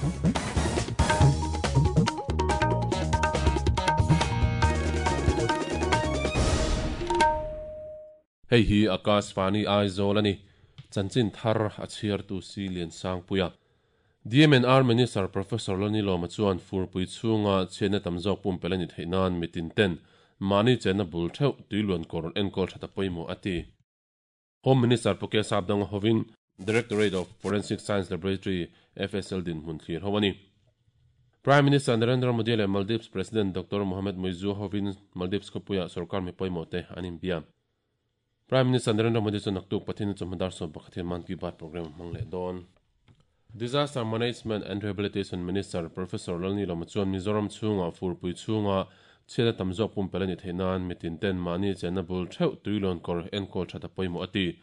Hei hi Akashvani Aizawl a ni. Chanchin thar a chhiartu si Liansangpuia. DMNR Minister Professor Lalnilawma chuan furpui chhunga chhiatna tam zawk pumpelh a ni theih nan mitin ten mahni chenna bul theuh tuiluan kawr enkawl that a pawimawh a ti. Home Minister Pu Kesap Danga hovin Directorate of Forensic Science Laboratory, FSL, dinhmun thlir ho a ni. Prime Minister Narendra Modi leh Maldives President Doctor Mohamed Muizzu hovin Maldives khawpuiah sorkar mi pawimawh te an inbia. Prime Minister Narendra Modi chu naktuk Pathian chawhma dar 11 hian Mann Ki Baat programme a hmang leh dawn. Disaster Management and Rehabilitation Minister Professor Lalnilawma chuan Mizoram chhungah furpui chhunga chhiatna tam zawk pumpelh a nih theih nan mitin ten mahni chenna bul theuh tuilawn kawr enkawl that a pawimawh a ti.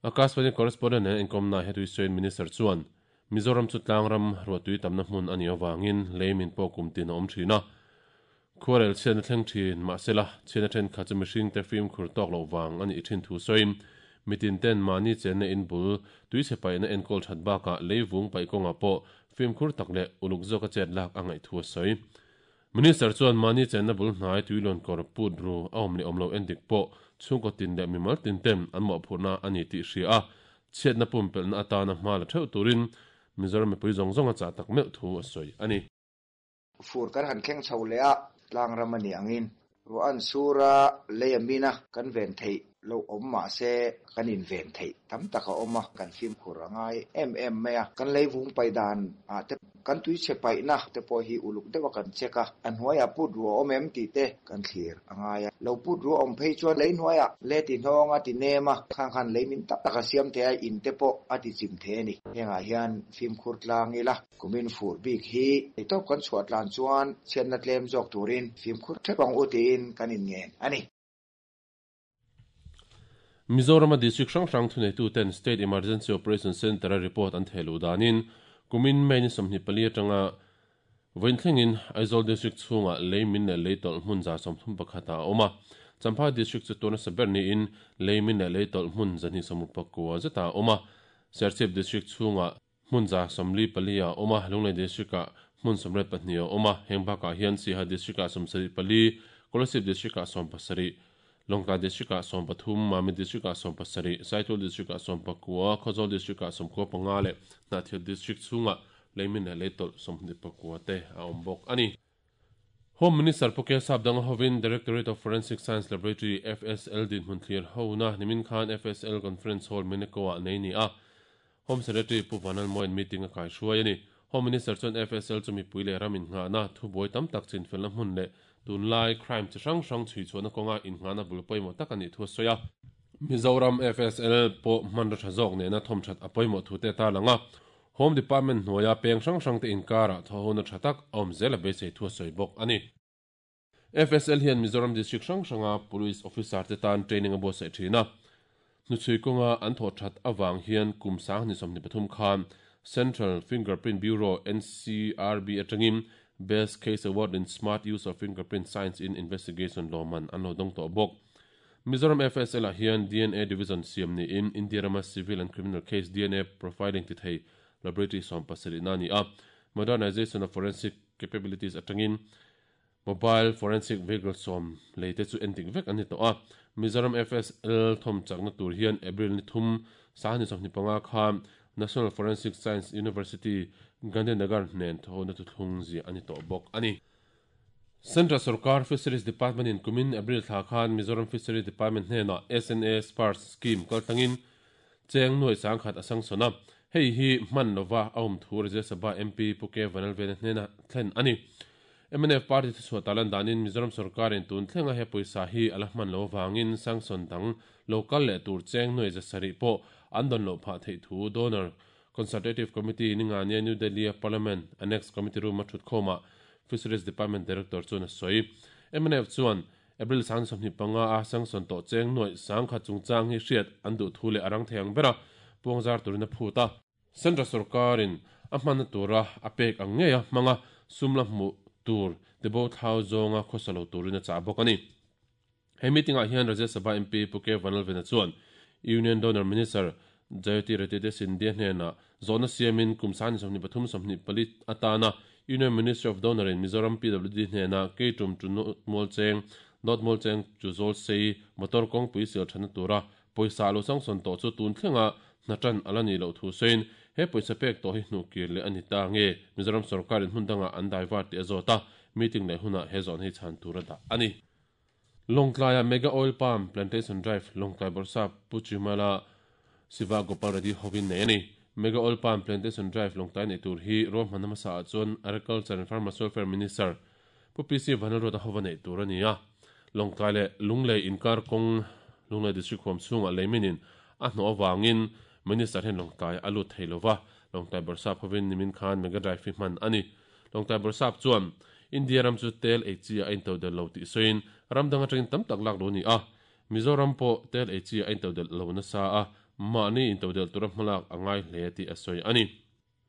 Akashvani correspondent nen inkawmnaah he tuisawiin Minister chuan Mizoram chu tlangram ruahtui tamna hmun a nih avangin lei min pawh kum tin a awm thin a. Khuarel chhiatna thleng thin mahsela chhiatna thenkhat chu mihringte fimkhur tawk loh vang a nih thin thu sawiin mitin ten mahni chenna in bul tuichhe paihna enkawl that bakah lei vung paih kawngah pawh fimkhur tak leh uluk zawka chet lak a ngaih thu a sawi. Minister chuan mahni chenna bul hnai tuilawn kawr put ru a awm leh awm lo endik pawh chhungkaw tin leh mimal tin ten an mawhphurhna a ni tih hria a, chhiatna pumpelhna atana hma la theuh turin Mizoram mipui zawng zawng a chah tak meuh thu a sawi a ni. Fur kan han thleng chho leh a, tlangram a nih angin ruah an sur a, lei a min a, kan ven theih loh awm mah se kan inven theih tam tak a awm a, kan fimkhur a ngai em em mai a. Kan lei vung paih dan ah te kan tuichhe paihna te pawh hi uluk deuh a kan check a, a hnuaiah put ruah awm em tih te kan thlir a ngai a. Lo put ruah awm phei chuan lei hnuaiah le ti hnawng a ti nem a, khang khan lei min tak tak a siam thei a, in te pawh a ti chim thei a ni. Hengah hian fimkhur tlang ila. Kumin fur bik hi eitawp kan chhuah tlan chuan chhiatna tlem zawk turin fimkhur thep ang u tiin kan inngen a ni. Mizorama district hrang hrang thuneituten State Emergency Operation Centre-a report an theh luh danin kumin May ni 24 atanga vawiin thlengin Aizawl District chhungah lei min leh lei tawlh hmun 31 ah a awm a. Champhai District chu tuna sa ber niin lei min leh lei tawlh hmun 269 zetah a awm a. Serchhip District chhungah Hmun 44 a awm a, Lunglei District-ah hmun 82 a awm a, heng bakah hian Siaha District-ah 74, Kolasib District-ah 17, Lawngtlai District-ah 13, Mamit District-ah 17, Saitul District-ah 19, Khawzawl District-ah 95 leh Hnahthial District chhungah leimin leh leitawlh 29 te a awm bawk a ni. Home Minister Pu Kesap Danga hovin Directorate of Forensic Science Laboratory, FSL, dinhmun thlir hona nimin khan FSL Conference Hall Meneko-ah nei ni a. Home Secretary Pu Vanlalmoian meeting a kaihruai a ni. Home Minister chuan FSL chu mipui leh ram innghahna, thubuai tam tak chinfelna hmun leh tunlai crime chi hrang hrang chhuichhuahna kawnga innghahna bul pawimawh tak a nih thu a sawi a. Mizoram FSL pawh hmanraw tha zawk nena thawmthat a pawimawh thu te a tarlang a. Home Department hnuaia peng hrang hrangte inkarah thawhhona tha tak a awm zel a beisei thu a sawi bawk a ni. FSL hian Mizoram District hrang hranga Police Officer te tan training a buatsaih thin a. Hnuchhui kawnga an thawh that avang hian kum 2023 khan Central Fingerprint Bureau, NCRB, atangin Best Case Award in Smart Use of Fingerprint Science in Investigation lawmman an lo dawng tawh bawk. Mizoram FSL ah hian dna Division siam niin India rama Civil and Criminal Case dna Profiling ti thei Laboratory 70 na a ni a. Modernization of Forensic Capabilities atangin Mobile Forensic Vehicle 10 lei te chu endik vek an ni tawh a. Mizoram FSL thawm chakna tur hian April ni thum 2025 khan National Forensic Science University, Gandhinagar hnen thawhna thuthlung ziah a ni tawh bawk a ni. Central Sorkar Fisheries Department in kumin April thla khan Mizoram Fisheries Department hnenah SNA Sparse Scheme kaltlangin cheng nuai 10,000 a sangsawn a. Hei hi hman lova a awm thu Rajya Sabha MP Pu K Vanlalvena hnena thlen a ni. Mnf party thuchhuah talan danin Mizoram sorkarin tun thlenga he pawisa hi a la hman lo avangin sanction dang lo kal leh tur cheng nuai 700 pawh an dawn loh phah theih thu Donor Consultative Committee ningania New Delhi-a Parliament Annex Committee room-a thutkhawmah Fisheries Department Director chuan a sawi. Mnf chuan April 25 a sanction tawh cheng nuai 10,000 chungchang hi hriat an duh thu leh a rang thei ang bera puangzar turin a phut a. Central sorkarin a hmanna tura a pek ang ngei a hmanga sum la hmuh tur tibo thlau zawnga khawsa lo turin a chah bawk a ni. He meeting-ah hian Rajya Sabha MP Pu K Vanlalvena chuan Union Donor Minister. Jyotiraditya Scindia hnenah zawhna siamin kum sangni 23 24 atana Union Ministry of Donor in Mizoram PWD hnena Keitum to North Mualcheng, North Mualcheng to Zawlsei motor kawngpui sial thana tura pawisa lo sanction tawh chu tun thlenga hna tan ala ni loh thu sawiin he pawisa pek tawh hi hnuh kir leh a ni ta nge Mizoram sorkarin hmun dangah an divert tih a zawt a, meeting leh hunah he zawhna hi chhan tur a dah a ni. Lawngtlaia Mega Oil Palm Plantation Drive Lawngtlai Bawrhsap Pu Chimala Siva Gopal Reddy hovin nei a ni. Mega Oil Palm Plantation Drive Lawngtlai neih tur hi ruahmanna hmasa ah chuan Agriculture and Farmers Welfare Minister Pu PC Vanlalruata hova neih tur a ni a. Lawngtlai leh Lunglei inkar kawng Lunglei District huam chhungah leiminin a hnawh avangin Minister hian Lawngtlai a lut thei lova, Lawngtlai Bawrhsap hovin nimin khan Mega Drive hi hman a ni. Lawngtlai Bawrhsap chuan India ram chu tel ei chi a into del lo tih sawiin ram dang atangin tam tak lak lo ni a, Mizoram pawh tel ei chi a into del lo nasa a, mahni into del tura hmalak a ngai hle tih a sawi a ni.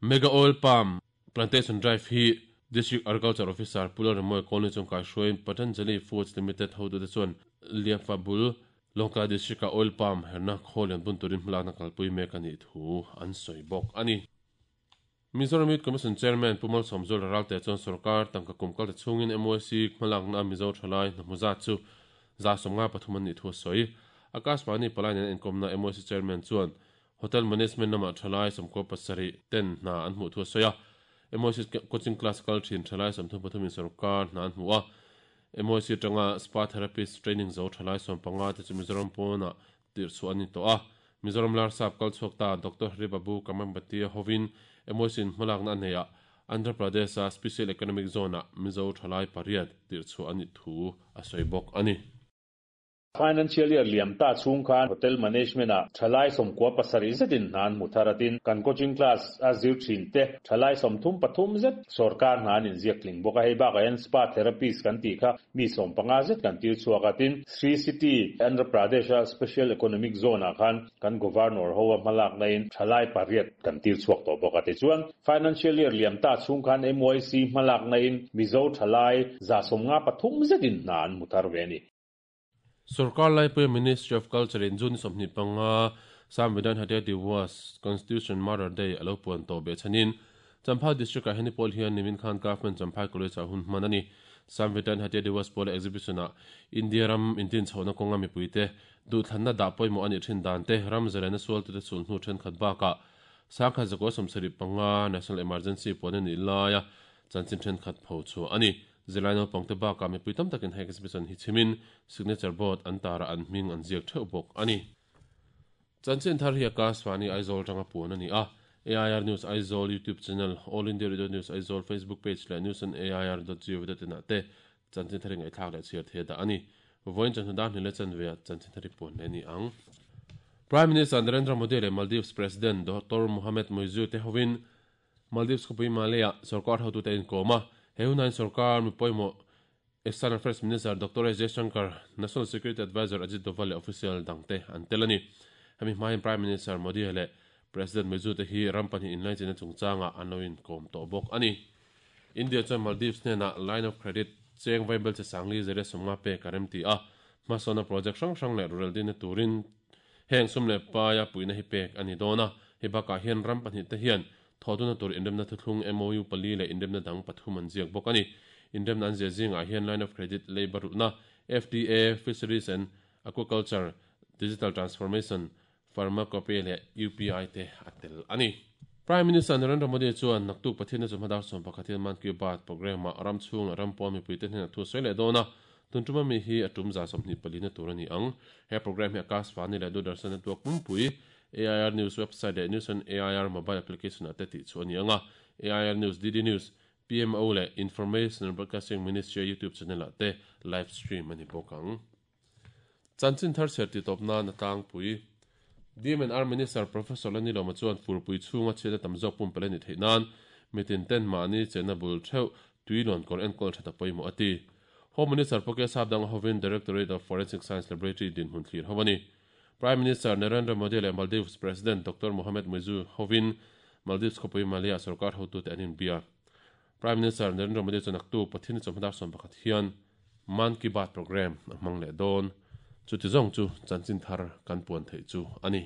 Mega Oil Palm Plantation Drive hi District Agriculture Officer Pu Lalremawia Colony chuan kaihruaiin Patanjali Foods Limited hotute chuan Liafa bul Lawngtlai District-a Oil Palm herna khawl lian bun turin hmalakna kalpui mek a nih thu an sawi bawk a ni. Mizoram Youth Commission Chairman Pu Malsawmzuala Ralte chuan sorkar tangka kum kalta chhungin MYC hmalakna a Mizo thalai hnahmu zat chu 153 an nih thu a sawi. Akashvani palai nen inkawmna MYC Chairman chuan Hotel Management lamah thalai 17 ten hna an hmuh thu a sawi a. MYC coaching class kal thin thalai 33 in sorkar hna an hmu a. MYC atanga Spa Therapist training zo thalai 15 te chu Mizoram pawnah tirhchhuah an ni tawh a. Mizoram Larsap kal chhuak ta Doctor Hari Babu Kamambati hovin MOC-in hmalakna a neihah Andhra Pradesh-a Special Economic Zone-ah Mizo thalai pariat tirhchhuah a nih thu a sawi bawk a ni. Financial year liam ta chhung khan Hotel Management-ah thalai 97 zetin hna an hmu thar atin kan coaching class a zir thin te thalai 33 zet sorkar hna an inziak tling bawk a. Hei bakah hian Spa Therapist kan tih kha mi 15 zet kan tir chhuak a, tin Sri City, Andhra Pradesh-a Special Economic Zone-ah khan kan Governor ho a hmalakna in thalai pariat kan tir chhuak tawh bawk a. Tichuan, Financial Year liam ta chhung khan MYC hmalakna in Mizo thalai 153 zetin hna an hmu thar ve a ni. Sorkar laipuia Ministry of Culture in June 25 Samvidhan Hatya Diwas, Constitution Martyr Day, a lo puan tawh beh chhanin Champhai District-ah hian pawl hian nimin khan Government Champhai College-ah hun hman a ni. Samvidhan Hatya Diwas pawla exhibition-ah India ram intinchhohna kawnga mipuite duhthlanna dah pawimawh a nih thin dan te, ram zalena sualtute sulhnu thenkhat bakah 1975 National Emergency puan a nih laia chanchin thenkhat pho chhuah a ni. Zirlai naupangte bakah mipui tam takin he exhibition hi chhimin signature board an tarah an hming an ziak theuh bawk a ni. Chanchin thar hi Akashvani Aizawl atanga puan a ni a, AIR News Aizawl YouTube channel, All India Radio News Aizawl Facebook page leh news on air dot gov dot in ah te chanchin thar hi ngaihthlak leh chhiar thei a dah a ni. Vawiin chawhnu dar hnih leh chanve ah chanchin thar hi puan leh a ni ang. Prime Minister Narendra Modi leh Maldives President Doctor Mohamed Muizzu te hovin Maldives khawpui Male-ah sorkar hotute a inkawm a, he hunain sorkar mi pawimawh External Affairs Minister Doctor S Jaishankar, National Security Adviser Ajit Doval leh official dangte an tel a ni. Hemi hmain Prime Minister Modi leh President Muizzu te hi ram pahnih inlaichinna chungchangah an lo inkawm tawh bawk a ni. India chuan Maldives hnenah line of credit cheng vaibel che sangli zere 50 pek a remti a, hmasawnna project hrang hrang leh rural dinna turin heng sum leh paia puihna hi pek a ni dawn a. Hei bakah hian ram pahnih te hian thawhduna tur inremna thuthlung MOU pali leh inremna dang pathum an ziak bawk a ni. Inremna an ziah zingah hian line of credit, labour rulhna, FDA, fisheries and aquaculture, digital transformation, pharmacopoeia leh UPI te a tel a ni. Prime Minister Narendra Modi chuan naktuk Pathianna chu hmadar 11 hian Mann Ki Baat programme-ah ram chhung leh ram pawn mipuite hnenah thu a sawi leh dawn a, tun tuma mi hi a tum 24 na tur a ni ang. He programme hi Akashvani leh Doordarshan network pumpui AIR News website leh News on AIR mobile application-ah te tih chhuah a ni ang a, AIR News, DD News, PMO leh Information and Broadcasting Ministry-a YouTube channel-ah te live stream a ni bawk ang. Chanchin thar chhiar tih tawp nan a tlangpui. DMNR Minister Professor Lanilawma chuan furpui chhunga chhiatna tam zawk pumpelh a nih theih nan mitin ten mahni chenna bul theuh tui lawn kawr enkawl that a pawimawh a ti. Home Minister Poke Sapdanga hovin Directorate of Forensic Science Laboratory dinhmun thlir ho a ni. Prime Minister Narendra Modi leh Maldives President Doctor Mohamed Muizzu hovin Maldives khawpui Male-ah sorkar hotute an inbia. Prime Minister Narendra Modi chuan naktuk Pathian chawhma dar 11 hian Mann Ki Baat programme a hmang leh dawn. Chuti zawng chu chanchin thar kan puan theih chu a ni.